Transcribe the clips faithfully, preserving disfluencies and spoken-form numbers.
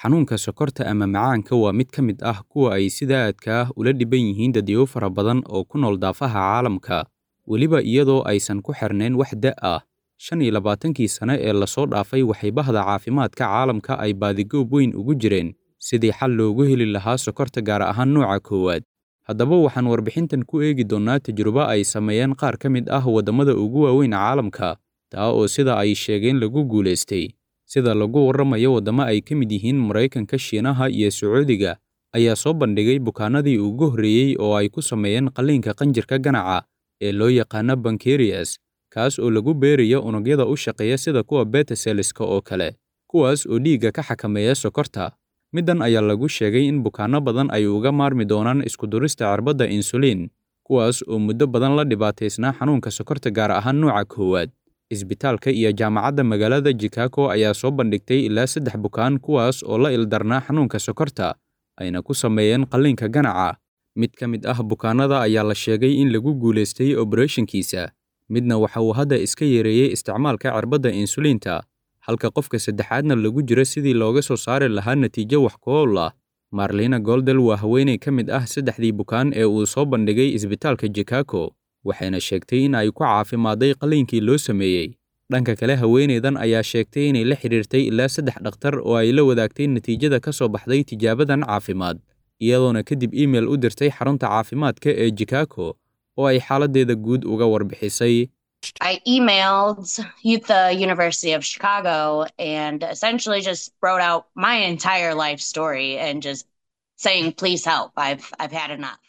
Xanuunka sokorta ama macaanka waa mid ka mid ah kuwa ay sida aadka ah ula dhiban yihiin dadyow fara badan oo ku nool daafaha caalamka, weliba iyadoo aysan ku xirnayn wax da' ah. Shan iyo labaatankii sane ee lasoo dhaafay waxay bahda caafimaadka caalamka ay baadigoob weyn ugu jireen sidii xal loogu heli lahaa sokorta, gaar ahaan nooca koowaad. Haddaba waxaan warbixintan ku eegi doonnaa tajrubo ay sameeyeen qaar ka mid ah waddamada ugu waaweyn caalamka, taa oo sida ay sheegeen lagu guulaystay. Sida lagu warramayo, waddamo ay ka mid yihiin Maraykanka, Shiinaha iyo Sacuudiga ayaa soo bandhigay bukaanadii ugu horreeyey oo ay ku sameeyeen qalliinka qanjirka ganaca ee loo yaqaano pancreas, kaas oo lagu beerayo unugyada u shaqeeya sida kuwa beta cellska oo kale, kuwaas oo dhiigga ka xakameeya sokorta. Middan ayaa lagu sheegay in bukaanno badan ay uga maarmi doonaan isku durista cirbadda insulin, kuwaas oo muddo badan la dhibaataysnaa xanuunka sokorta, gaar ahaan nooca koowaad. Isbitaalka iyo jaamacadda magaalada Chicago ayaa soo bandhigtay ilaa saddex bukaan, kuwaas oo la ildarnaa xanuunka sokorta, ayna ku sameeyeen qalliinka ganaca. Mid ka mid ah bukaanada ayaa la sheegay in lagu guulaystay operation-kiisa, midna waxa uu hadda iska yareeyey isticmaalka cirbadda insulinta, halka qofka saddexaadna lagu jiro sidii looga soo saari lahaa natiijo wax ku ool ah. Marlena Goldel waa haweeney ka mid ah saddexdii bukaan ee uu soo bandhigay isbitaalka Chicago, waxayna sheegtay in ay ku caafimaaday qalliinkii loo sameeyey. Dhanka kale, haweeneydan ayaa sheegtay inay la xiriirtay ilaa saddex dhakhtar oo ay la wadaagtay natiijada ka soo baxday tijaabadan caafimaad, iyadoona kadib email u dirtay xarunta caafimaadka ee Chicago oo ay xaaladdeeda guud uga warbixisay. I emailed the University of Chicago and essentially just wrote out my entire life story and just saying, "Please help. I've, I've had enough."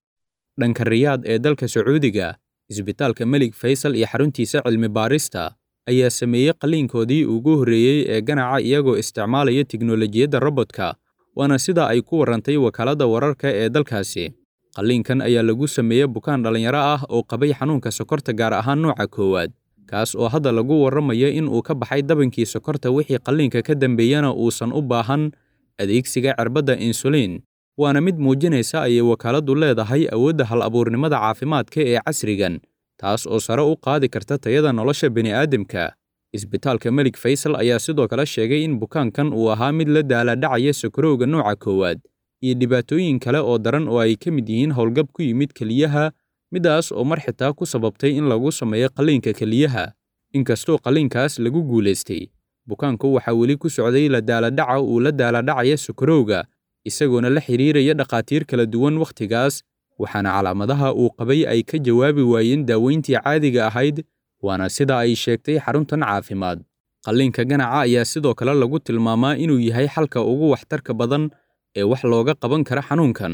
Dhanka Riyaad ee dalka Sacuudiga, isbitaalka Melig Faysal iyo xaruntiisa cilmi baarista ayaa sameeyey qalliinkoodii ugu horreeyey ee ganaca iyagoo isticmaalaya tiknoolajiyadda robot-ka, waana sida ay ku warrantay wakaaladda wararka ee dalkaasi. Qalliinkan ayaa lagu sameeyey bukaan dhallinyaro ah oo qabay xanuunka sokorta, gaar ahaan nooca koowaad, kaas oo hadda lagu warramayo in uu ka baxay dabankii sokorta, wixii qalliinka ka dambeeyana uusan u baahan adeegsiga cirbadda insulin. Waana mid muujinaysa, ayay wakaaladdu leedahay, awoodda hal-abuurnimada caafimaadka ee casrigan, taas oo sare u qaadi karta tayada nolosha bini'aadamka. Isbitaalka Melig Faysal ayaa sidoo kale sheegay in bukaankan uu ahaa mid la daalaa-dhacaya sokorowga nooca koowaad iyo dhibaatooyin kale oo daran oo ay ka mid yihiin howlgab ku yimid keliyaha, midaas oo mar xitaa ku sababtay in lagu sameeyo qalliinka keliyaha. Inkastoo qalliinkaas lagu guulaystay, bukaanku waxaa weli ku socday la daalaa-dhaca uu la daalaa-dhacaya sokorowga, isagoona la xiriiraya dhakhaatiir kala duwan wakhtigaas, waxaana calaamadaha uu qabay ay ka jawaabi waayeen daaweyntii caadiga ahayd, waana sida ay sheegtay xaruntan caafimaad. Qalliinka ganaca ayaa sidoo kale lagu tilmaamaa inuu yahay xalka ugu waxtarka badan ee wax looga qaban kara xanuunkan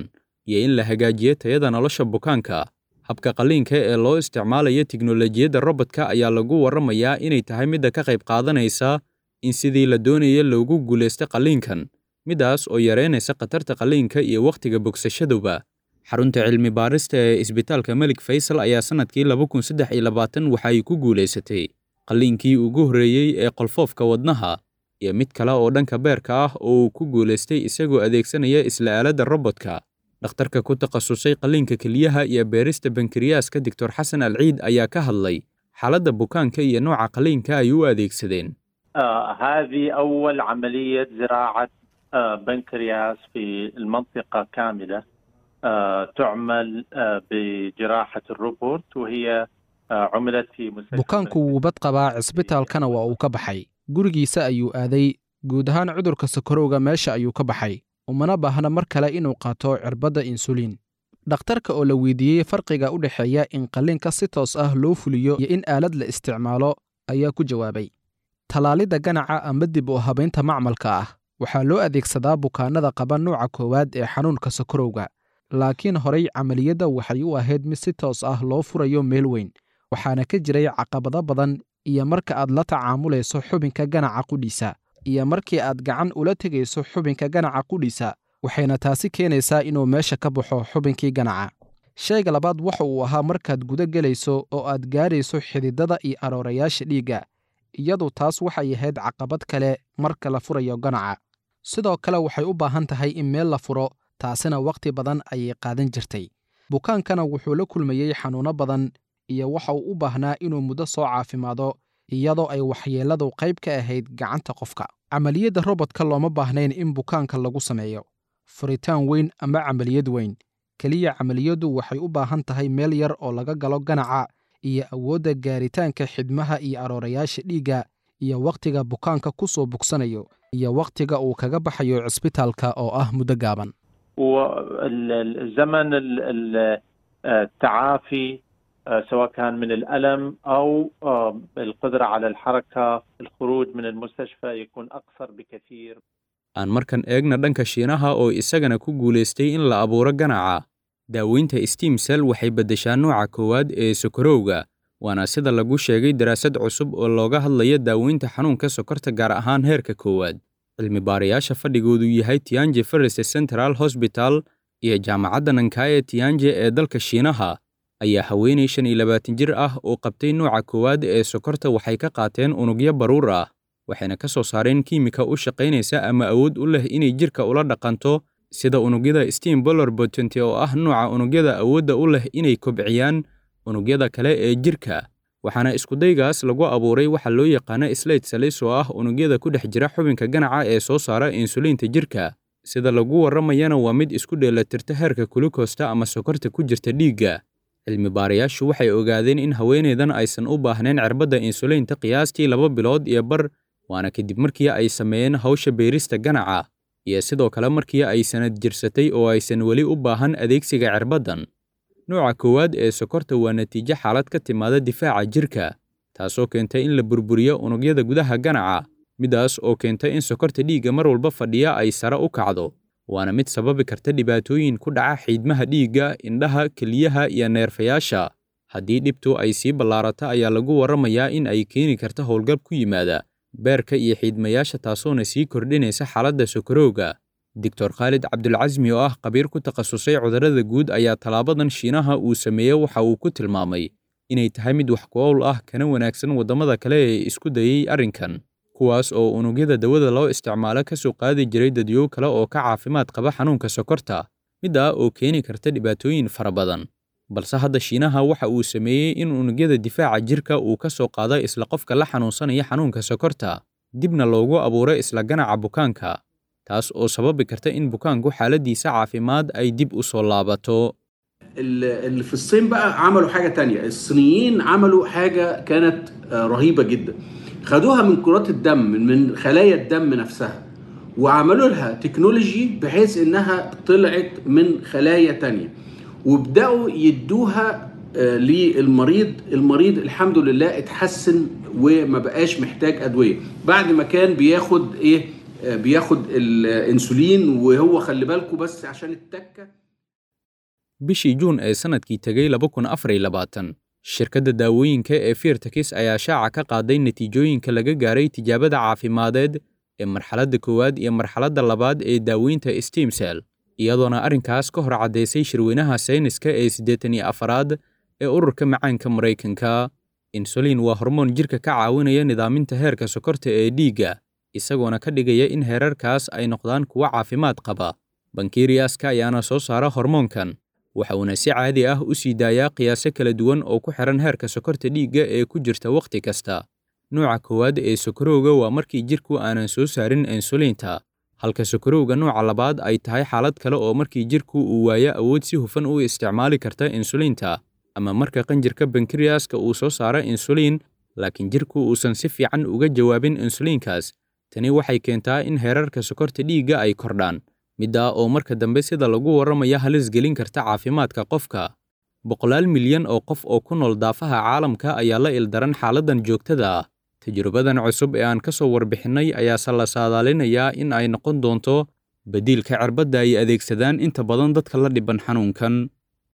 iyo in la hagaajiyo tayada nolosha bukaanka. Habka qalliinka ee loo isticmaalayo tiknoolajiyadda robot-ka ayaa lagu warramayaa inay tahay midda ka qayb qaadanaysa in sidii la doonaya loogu guulaysto qalliinkan, midaas oo yareynaysa khatarta qalliinka iyo wakhtiga bogsashaduba. Xarunta cilmi baarista ee isbitaalka Melig Faysal ayaa sanadkii laba kun saddex iyo labaatan waxa ay ku guulaysatay qalliinkii ugu horreeyey ee qolfoofka wadnaha iyo mid kale oo dhanka beerka ah oo uu ku guulaystay isagoo adeegsanaya isla aaladda robot-ka. Dhakhtarka ku takhasusay qalliinka kelyaha iyo beerista bankiriyaaska, Doctor Xasan Alciid, ayaa ka hadlay xaaladda bukaanka iyo nooca qalliinka ay u adeegsadeen. آه هذه أول عملية زراعة آه بنكرياس في المنطقة كاملة آه تعمل آه بجراحة الروبوت، وهي آه عملت في مستشفى. Bukaanku wuu bad qabaa, cisbitaalkana waa uu ka baxay, gurigiisa ayuu aaday. Guud ahaan cudurka sokorowga meesha ayuu ka baxay, umana baahna mar kale inuu qaato cirbadda insuliin. Dhakhtarka oo la weydiiyey farqiga u dhexeeya in qalliinka si toos ah loo fuliyo iyo in aalad la isticmaalo ayaa ku jawaabay: Tallaalidda ganaca ama dib u habaynta macmalka ah waxaa loo adeegsadaa bukaanada qaba nuuca koowaad ee xanuunka sokorowga, laakiin horay camaliyadda waxay u ahayd mid si toos ah loo furayo meel weyn, waxaana ka jiray caqabado badan, iyo marka aad la tacaamulayso xubinka ganaca qudhiisa iyo markii aad gacan ula tegayso xubinka ganaca qudhiisa, waxayna taasi keenaysaa inuu meesha ka baxo xubinkii ganaca. Shayga labaad waxa uu ahaa markaad guda gelayso oo aad gaarayso xididada iyo aroorayaasha dhiigga, iyadu taas waxay ahayd caqabad kale marka la furayo ganaca. Sidoo kale waxay u baahan tahay in meel la furo, taasina wakhti badan ayay qaadan jirtay. Bukaankana wuxuu la kulmayey xanuuno badan iyo waxa uu u baahnaa inuu muddo soo caafimaado, iyadoo ay waxyeelladu qayb ka ahayd gacanta qofka. Camaliyadda robodka looma baahnayn in bukaanka lagu sameeyo furitaan weyn ama camaliyad weyn. Keliya camaliyaddu waxay u baahan tahay meel yar oo laga galo ganaca iyo awoodda gaaritaanka xidhmaha iyo aroorayaasha dhiigga iyo wakhtiga bukaanka ku soo bogsanayo iyo wakhtiga uu kaga baxayo cisbitaalka oo ah muddo gaaban. والزمن التعافي سواء كان من الألم أو القدرة على الحركة، الخروج من المستشفى يكون أقصر بكثير. Aan markan eegna dhanka Shiinaha oo isagana ku guulaystay in la abuuro ganaca. Daaweynta stem cell waxay beddeshaa nooca koowaad ee sokorowga, waana sida lagu sheegay daraasad cusub oo looga hadlaya daaweynta xanuunka sokorta, gaar ahaan heerka koowaad. Cilmi baarayaasha fadhigoodu yahay Tianjin First Central Hospital iyo jaamacadda Nankai Tianjin ee dalka Shiinaha ayaa haweeney shan iyo labaatan jir ah oo qabtay nooca koowaad ee sokorta waxay ka qaateen unugyo baruur ah, waxayna ka soo saareen kiimika u shaqaynaysa ama awood u leh inay jirka ula dhaqanto sida unugyada stem pluripotent oo ah nooca unugyada awoodda u leh inay kobciyaan unugyada kale ee jirka. Waxaana iskudaygaas lagu abuuray waxa loo yaqaano slate cells oo ah unugyada ku dhex jira xubinka ganaca ee soo saara insuliinta jirka. Sida lagu warramayana waa mid isku dheelitirta heerka gulukosta ama sokorta ku jirta dhiigga. Cilmi baarayaashu waxay ogaadeen in haweeneydan aysan u baahnayn cirbadda insuliinta qiyaastii laba bilood iyo bar, waana kadib markii ay sameeyeen hawsha beerista ganaca iyo sidoo kale markii ay sanad jirsatay oo aysan weli u baahan adeegsiga cirbaddan. Nooca koowaad ee sokorta waa natiijo xaalad ka timaada difaaca jirka, taasoo keenta in la burburiyo unugyada gudaha ganaca, midaas oo keenta in sokorta dhiigga mar walba fadhiya ay sare u kacdo, waana mid sababi karta dhibaatooyin ku dhaca xiidmaha dhiigga, indhaha, kelyaha iyo neerfayaasha. Haddii dhibtu ay sii ballaarato ayaa lagu warramayaa in ay keeni karta howlgab ku yimaada beerka iyo xiidmayaasha, taasoona sii kordhinaysa xaaladda sokorowga. Doctor Khaalid Cabdulcasmi oo ah khabiir ku takhasusay cudurrada guud ayaa tallaabadan Shiinaha uu sameeyey waxa uu ku tilmaamay inay tahay mid wax ku ool ah kana wanaagsan waddamada kale ee isku dayay arrinkan, kuwaas oo unugyada dawada loo isticmaalo ka soo qaadi jiray dadyow kale oo ka caafimaad qaba xanuunka sokorta, middaa oo keeni karta dhibaatooyin fara badan. Balse hadda Shiinaha waxa uu sameeyey in unugyada difaaca jirka uu ka soo qaado isla qofka la xanuunsanaya xanuunka sokorta, dibna loogu abuuro isla ganaca bukaanka, taas oo sababi karta in bukaanku xaaladiisa caafimaad ay dib u soo laabato. اللي في الصين بقى عملوا حاجة تانية. الصينيين عملوا حاجة كانت رهيبة جدا، خدوها من كرات الدم، من خلايا الدم نفسها، وعملوا لها تكنولوجي بحيث انها طلعت من خلايا تانية، وبدأوا يدوها للمريض. المريض الحمد لله اتحسن وما بقاش محتاج أدوية بعد ما كان بياخد ايه، بياخد الانسولين. وهو خلي بالكم بس عشان التكه. Bishii Juun ee sanadkii tegay laba kun afar iyo labaatan, shirkadda daawooyinka ee Vertex ayaa shaaca ka qaaday natiijooyinka laga gaaray tijaabada caafimadeed ee marxaladda koowaad iyo marxaladda labaad ee daaweynta stem cell, iyadoona arrinkaas ka hor caddaysay shirweynaha sayniska ee siddeetan iyo afaraad ee ururka macaanka Maraykanka. Insulin waa hormoon jirka ka caawinaya nidaaminta heerka sokorta ee dhiigga, isagoona ka dhigaya in heerarkaas ay noqdaan kuwo caafimaad qaba. Bankeriyaska ayaana soo saara hormoonkan, waxa uuna si caadi ah u sii daayaa qiyaaso kala duwan oo ku xiran heerka sokorta dhiigga ee ku jirta wakhti kasta. Nooca koowaad ee sokorowga waa markii jirku aanan soo saarin insuliinta, halka sokorowga nooca labaad ay tahay xaalad kale oo markii jirku uu waayo awood si hufan u isticmaali karta insuliinta, ama marka qanjirka bankeriyaska uu soo saaro insuliin laakiin jirku uusan si fiican uga jawaabin insuliinkaas. Tani waxay keentaa in heerarka sokorta dhiigga ay kordhaan, middaa oo marka dambe sida lagu warramaya halis gelin karta caafimaadka qofka. Boqolaal milyan oo qof oo ku nool daafaha caalamka ayaa la ildaran xaaladdan joogtada ah. Tajrubadan cusub ee aan ka soo warbixinnay ayaase la saadaalinayaa in ay noqon doonto badiilka cirbadda ay adeegsadaan inta badan dadka la dhiban xanuunkan.